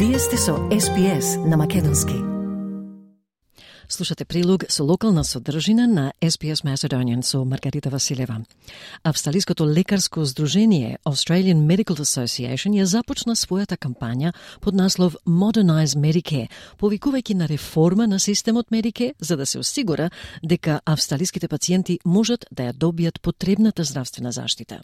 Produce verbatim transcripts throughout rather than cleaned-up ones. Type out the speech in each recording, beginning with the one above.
Вие сте со Ес Би Ес на Македонски. Слушате прилог со локална содржина на Ес Би Ес Macedonian со Маргарита Василева. Австралиското лекарско здружение Australian Medical Association ја започна својата кампања под наслов Modernize Medicare, повикувајќи на реформа на системот Medicare за да се осигура дека австралиските пациенти можат да ја добијат потребната здравствена заштита.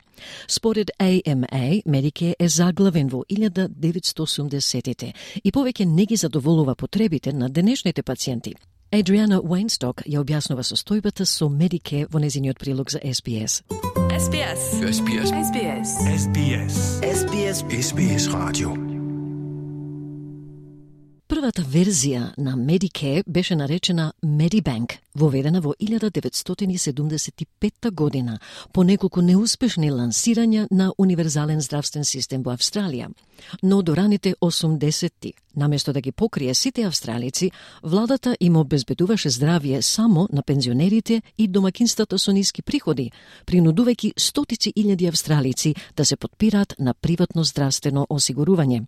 Според А Ем А, Medicare е заглавен во илјада деветстотини и осумдесетите и повеќе не ги задоволува потребите на денешните пациенти. Адриана Уейнсток ја објаснува состојбата со Medicare во незиниот прилог за Ес Би Ес. Ес Би Ес. Ес Би Ес. Ес Би Ес. Ес Би Ес. Ес Би Ес. Ес Би Ес радио. Првата верзија на Medicare беше наречена Medibank, воведена во илјада деветстотини и седумдесет и петта година, по неколку неуспешни лансирања на универзален здравствен систем во Австралија. Но до раните осумдесетти, наместо да ги покрие сите австралици, владата им обезбедуваше здравје само на пензионерите и домакинствата со ниски приходи, принудувајќи стотици илјади австралици да се потпираат на приватно здравствено осигурување.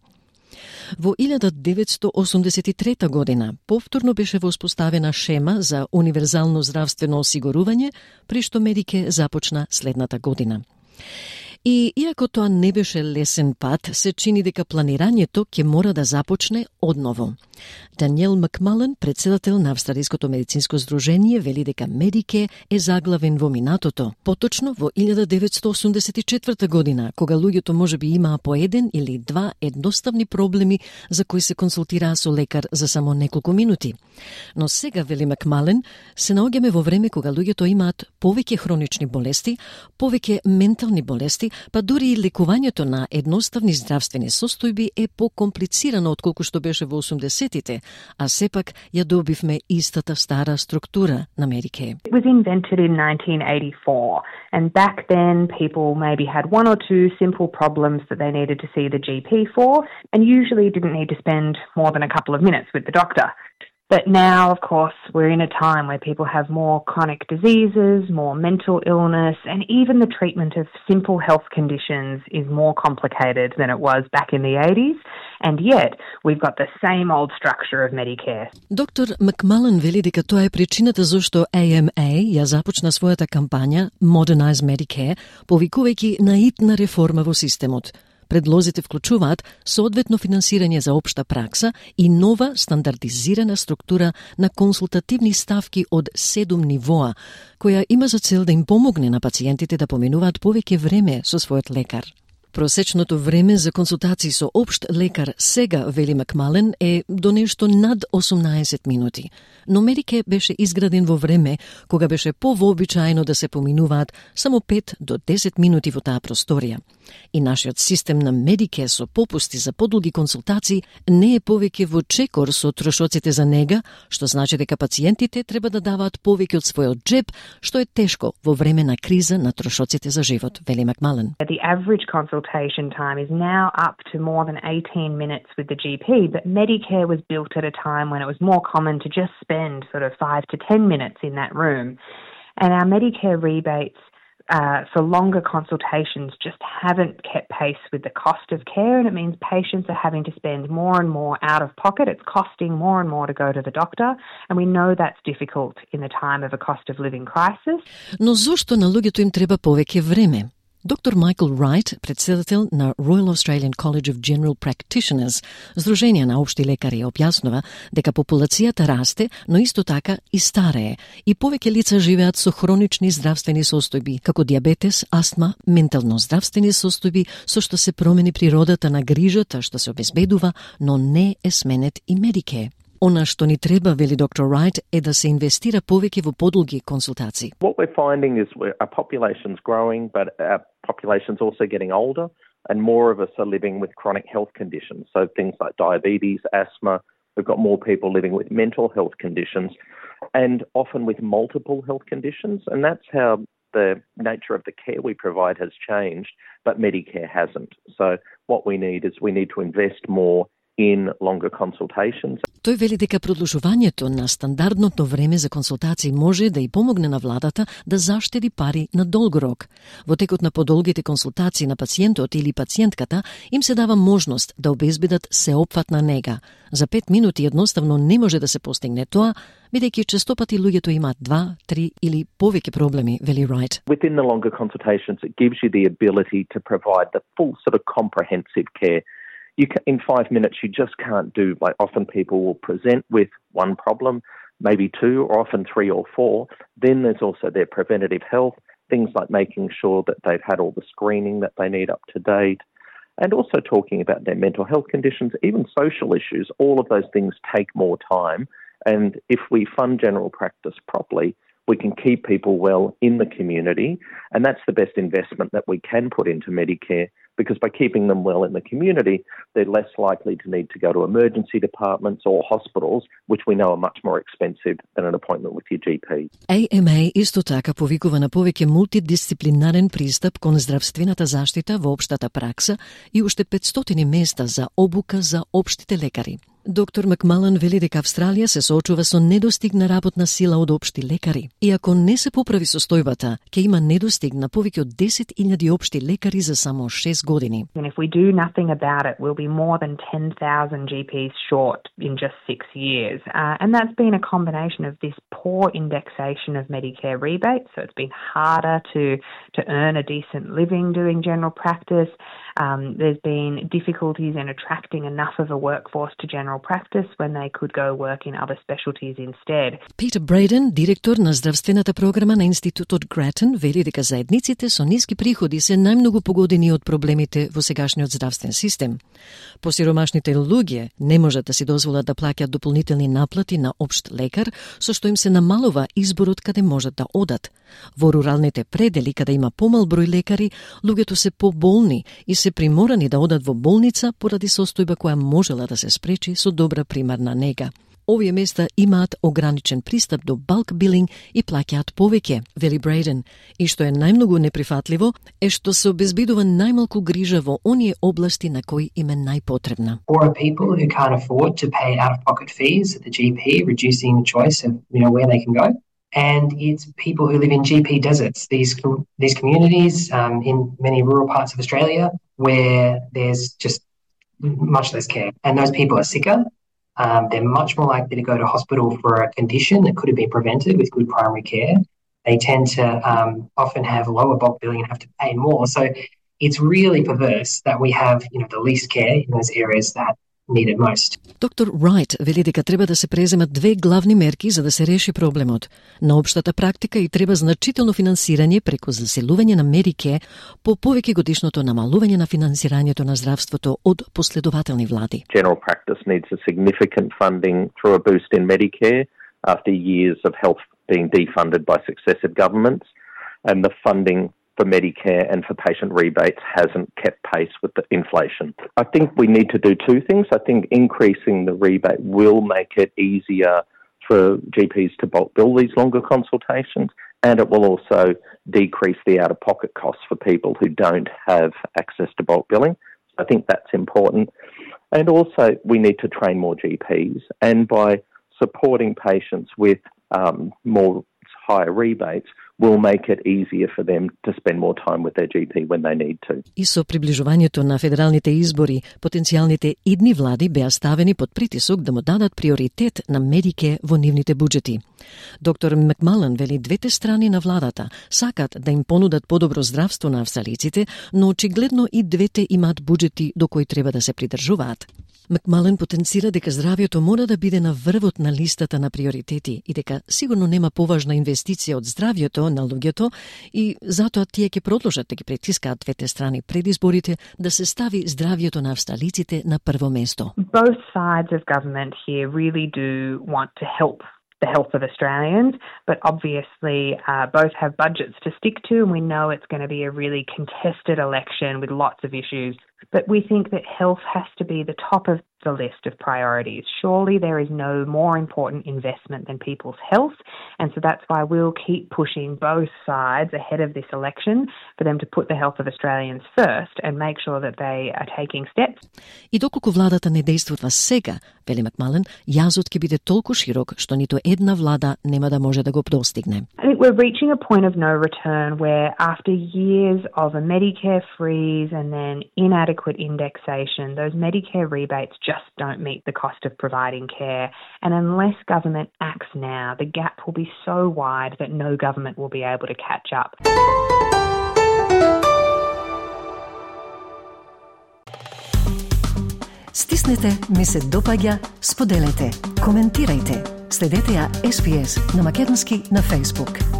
Во илјада деветстотини и осумдесет и трета година повторно беше воспоставена шема за универзално здравствено осигурување, при што Medicare започна следната година. И иако тоа не беше лесен пат, се чини дека планирањето ќе мора да започне одново. Даниел Макмален, председател на Австралиското медицинско здружение, вели дека Medicare е заглавен во минатото, поточно во илјада деветстотини и осумдесет и четврта година, кога луѓето можеби имаа по еден или два едноставни проблеми за кои се консултираа со лекар за само неколку минути. Но сега, вели Макмален, се наоѓаме во време кога луѓето имаат повеќе хронични болести, повеќе ментални болести, па дури и лекувањето на едноставни здравствени состојби е покомплицирано отколку што беше во осумдесетите, а сепак ја добивме истата стара структура на Medicare. It was invented in nineteen eighty-four, and back then people maybe had one or two simple problems that they needed to see the G P for, and usually didn't need to spend more than a couple of minutes with the doctor. But now, of course, we're in a time where people have more chronic diseases, more mental illness, and even the treatment of simple health conditions is more complicated than it was back in the eighties, and yet we've got the same old structure of Medicare. Доктор Макмален вели дека тоа е причината зашто А Ем А ја започна својата кампања Modernize Medicare, повикувајќи на итна реформа во системот. Предлозите вклучуваат соодветно финансирање за општа пракса и нова стандардизирана структура на консултативни ставки од седум нивоа, која има за цел да им помогне на пациентите да поминуваат повеќе време со својот лекар. Просечното време за консултации со општ лекар сега, вели Макмален, е до нешто над осумнаесет минути. Но Medicare беше изграден во време кога беше повообичаено да се поминуваат само пет до десет минути во таа просторија. И нашиот систем на Medicare со попусти за подолги консултации не е повеќе во чекор со трошоците за нега, што значи дека пациентите треба да даваат повеќе од својот джеб, што е тешко во време на криза на трошоците за живот, вели Макмален. The average consultation time is now up to more than eighteen minutes with the G P, but Medicare was built at a time when it was more common to just spend sort of five to ten minutes in that room. And our Medicare rebates uh, for longer consultations just haven't kept pace with the cost of care, and it means patients are having to spend more and more out of pocket. It's costing more and more to go to the doctor, and we know that's difficult in the time of a cost of living crisis. Но зошто на луѓето им треба повеќе време? Доктор Майкл Райт, председател на Royal Australian College of General Practitioners, здружение на општи лекари, објаснува дека популацијата расте, но исто така и старее, и повеќе лица живеат со хронични здравствени состојби, како диабетес, астма, ментално здравствени состојби, со што се промени природата на грижата што се обезбедува, но не е сменет и Medicare. Она што ни треба, вели доктор Райт, е да се инвестира повеќе во подолги консултации. What we're finding is our population's growing, but our population's also getting older, and more of us are living with chronic health conditions. So things like diabetes, asthma, we've got more people living with mental health conditions, and often with multiple health conditions, and that's how the nature of the care we provide has changed, but Medicare hasn't. So what we need is we need to invest more in longer consultations. Тој вели дека продолжувањето на стандардното време за консултации може да и помогне на владата да заштеди пари на долг рок. Во текот на подолгите консултации на пациентот или пациентката им се дава можност да обезбедат сеопфатна нега. За пет минути едноставно не може да се постигне тоа, бидејќи честопати луѓето имаат два, три или повеќе проблеми, вели Wright. Within the longer consultations, it gives you the ability to provide the full sort of comprehensive care. You can, in five minutes, you just can't do, like often people will present with one problem, maybe two, or often three or four. Then there's also their preventative health, things like making sure that they've had all the screening that they need up to date, and also talking about their mental health conditions, even social issues. All of those things take more time. And if we fund general practice properly, we can keep people well in the community. And that's the best investment that we can put into Medicare, because by keeping them well in the community, they're less likely to need to go to emergency departments or hospitals, which we know are much more expensive than an appointment with your G P. A M A исто така повикува на повеќе мултидисциплинарен пристап кон здравствената заштита во општата пракса и уште петстотини места за обука за општите лекари. Доктор Макмалан вели дека Австралија се соочува со недостиг на работна сила од општи лекари. И ако не се поправи состојбата, ќе има недостиг на повеќе од десет илјади општи лекари за само шест години. And if we do nothing about it, we'll be more than ten thousand G Ps short in just six years. Uh, and that's been a combination of this poor indexation of Medicare rebates, so it's been harder to, to earn a decent living doing general practice. Um, there's been difficulties in attracting enough of a workforce to general practice when they could go work in other specialties instead. Peter Braden, директор на здравствената програма на Институтот Гратен, вели дека заедниците со ниски приходи се најмногу погодени од проблемите во сегашниот здравствен систем. Посиромашните луѓе не можат да си дозволат да плаќаат дополнителни наплати на општ лекар, со што им се намалува изборот каде можат да одат. Во руралните предели, каде има помал број лекари, луѓето се поболни и се приморани да одат во болница поради состојба која можела да се спречи со добра примарна нега. Овие места имаат ограничен пристап до bulk billing и плаќаат повеќе, вели Брейден, и што е најмногу неприфатливо е што се обезбедува најмалку грижа во оние области на кои им е најпотребна. Poorer people who can't afford to pay out-of-pocket fees at the G P, reducing the choice of, you know, where they can go. And it's people who live in G P deserts, these these communities um, in many rural parts of Australia where there's just much less care. And those people are sicker. Um, they're much more likely to go to hospital for a condition that could have been prevented with good primary care. They tend to um, often have lower bulk billing and have to pay more. So it's really perverse that we have, you know, the least care in those areas that need it most. Доктор Wright вели дека треба да се преземат две главни мерки за да се реши проблемот. На општата практика и треба значително финансирање преку заселување на Medicare по повеќе годишното намалување на финансирањето на здравството од последователни влади. General practice needs a significant funding through a boost in Medicare after years of health being defunded by successive governments, and the funding for Medicare and for patient rebates hasn't kept pace with the inflation. I think we need to do two things. I think increasing the rebate will make it easier for G Ps to bulk bill these longer consultations, and it will also decrease the out-of-pocket costs for people who don't have access to bulk billing. I think that's important. And also we need to train more G Ps, and by supporting patients with um, more higher rebates, will make it easier for them to spend more time with their G P when they need to. И со приближувањето на федералните избори, потенцијалните идни влади беа ставени под притисок да му дадат приоритет на Medicare во нивните буџети. Доктор Макмалан вели двете страни на владата сакат да им понудат подобро здравство на австралиците, но очигледно и двете имаат буџети до кои треба да се придржуваат. Макмален потенцира дека здравјето мора да биде на врвот на листата на приоритети и дека сигурно нема поважна инвестиција од здравјето на луѓето и затоа тие ќе продолжат да ги притискаат двете страни пред изборите да се стави здравјето на австралиците на прво место. Both sides of government here really do want to help the health of Australians, but obviously uh, both have budgets to stick to, and we know it's going to be a really contested election with lots of issues. But we think that health has to be the top of the list of priorities. Surely there is no more important investment than people's health, and so that's why we'll keep pushing both sides ahead of this election for them to put the health of Australians first and make sure that they are taking steps. И доколку владата не действува сега, вели Макмален, јазот ќе биде толку широк што ниту една влада нема да може да го достигне. I think we're reaching a point of no return where after years of a Medicare freeze and then inadequate indexation, those Medicare rebates just don't meet the cost of providing care. And unless government acts now, the gap will be so wide that no government will be able to catch up. Стиснете, ми се допаѓа, споделете, коментирајте. Следете ја Ес Би Ес на македонски на Facebook.